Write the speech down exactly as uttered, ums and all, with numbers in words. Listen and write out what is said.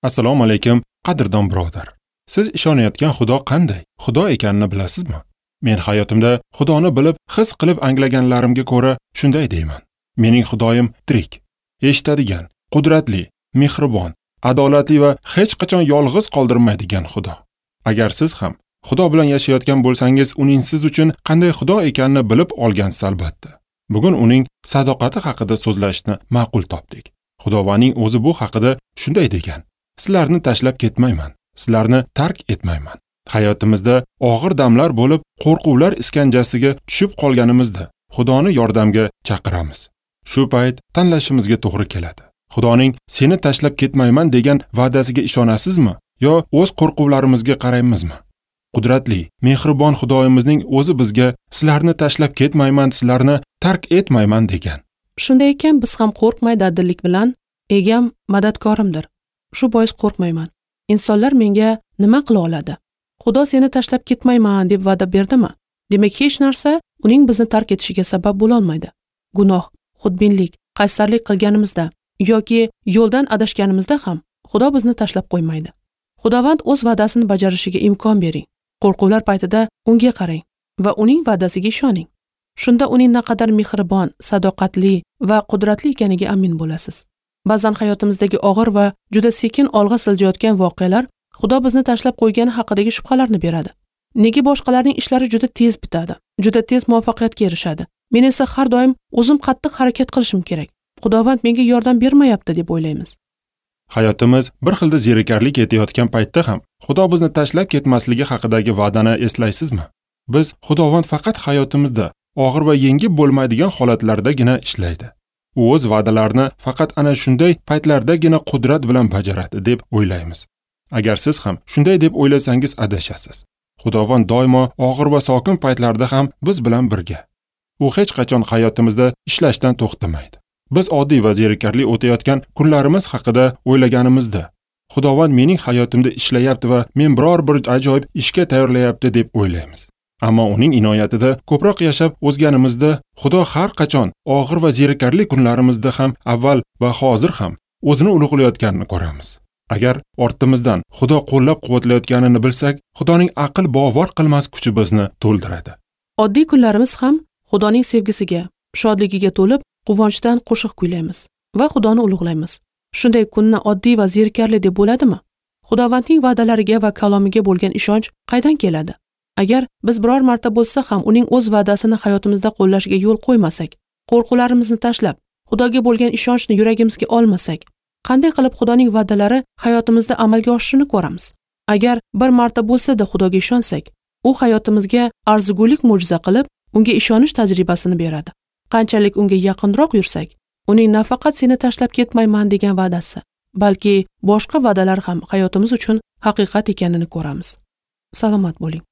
Assalomu alaykum, qadrdon birodar. Siz ishonayotgan Xudo qanday Xudo ekanini bilasizmi? Men hayotimda Xudoni bilib, his qilib anglaganlarimga ko'ra shunday deyman. Mening Xudoyim tirik, eshitadigan, qudratli, mehribon, adolatli va hech qachon yolg'iz qoldirmaydigan Xudo. Agar siz ham Xudo bilan yashayotgan bo'lsangiz, uning siz uchun qanday Xudo ekanini bilib olgansiz albatta. Bugun uning sadoqati haqida so'zlashni ma'qul topdik. Xudovaning o'zi bu haqida shunday degan: Sizlarni tashlab ketmayman, sizlarni tark etmayman. Hayotimizda og'ir damlar bo'lib, qo'rquvlar iskanjasiga tushib qolganimizda Xudoni yordamga chaqiramiz. Shu payt tanlashimizga to'g'ri keladi. Xudoning seni tashlab ketmayman degan va'dasiga ishonasizmi yo o'z qo'rquvlarimizga qaraymizmi? Qudratli, mehribon Xudoyimizning o'zi bizga sizlarni tashlab ketmayman, sizlarni tark etmayman degan. Shunday ekan, biz ham qo'rqmay dadillik bilan egam madadkorimdir. Shu bois qo'rqmayman. Insonlar menga nima qila oladi? Xudo seni tashlab ketmayman deb va'da berdimi? Demak, hech narsa uning bizni tark etishiga sabab bo'la olmaydi. Gunoh, xudbinlik, qaysarlik qilganimizda yoki yo'ldan adashganimizda ham Xudo bizni tashlab qo'ymaydi. Xudovand o'z va'dasini bajarishiga imkon bering. Qo'rquvlar paytida unga qarang va uning va'dasiga ishoning. Shunda uning naqadar mehribon, sadoqatli va qudratli ekaniga amin bo'lasiz. Ba'zan hayotimizdagi og'ir va juda sekin olg'a siljayotgan voqealar Xudo bizni tashlab qo'ygani haqidagi shubhalarni beradi. Nega boshqalarning ishlari juda tez bitadi, juda tez muvaffaqiyatga erishadi? Men esa har doim o'zim qattiq harakat qilishim kerak. Xudovand menga yordam bermayapti deb o'ylaymiz. Hayotimiz bir xilda zerikarli ketayotgan paytda ham Xudo bizni tashlab ketmasligi haqidagi va'dani eslaysizmi? Biz Xudovand faqat hayotimizda og'ir va yengib bo'lmaydigan holatlardagina ishlaydi. U o'z va'dalarini faqat ana shunday paytlardagina qudrat bilan bajaradi deb o'ylaymiz. Agar siz ham shunday deb o'ylasangiz adashasiz. Xudovand doimo og'ir va sokin paytlarda ham biz bilan birga. U hech qachon hayotimizda ishlashdan to'xtamaydi. Biz oddiy va zerikarli o'tayotgan kunlarimiz haqida o'ylaganimizda, Xudovand mening hayotimda ishlayapti va men biror bir ajoyib ishga tayyorlayapti deb o'ylaymiz. Ammo uning inoyatida ko'proq yashab o'zganimizda, Xudo har qachon og'ir va zerikarli kunlarimizda ham avval va hozir ham o'zini ulug'layotganini ko'ramiz. Agar ortimizdan Xudo qo'llab-quvvatlayotganini bilsak, Xudoning aql bovar qilmas kuchi bizni to'ldiradi. Oddiy kunlarimiz ham Xudoning sevgisiga, shodligiga to'lib, quvonchdan qo'shiq kuylaymiz va Xudoni ulug'laymiz. Shunday kunni oddiy va zerikarli deb bo'ladimi? Xudovandning va'dalariga va kalomiga bo'lgan ishonch qaydan keladi? Agar biz biror marta bo'lsa ham uning o'z va'dasini hayotimizda qo'llashiga yo'l qo'ymasak, qo'rquvlarimizni tashlab, Xudoga bo'lgan ishonchni yuragimizga olmasak, qanday qilib Xudoning va'dalari hayotimizda amalga oshishini ko'ramiz? Agar bir marta bo'lsa-da Xudoga ishonsak, u hayotimizga arzigulik mo'jiza qilib, unga ishonish tajribasini beradi. Qanchalik unga yaqinroq yursak, uning nafaqat seni tashlab ketmayman degan va'dasi, balki boshqa va'dalar ham hayotimiz uchun haqiqat ekanini ko'ramiz. Salomat bo'ling.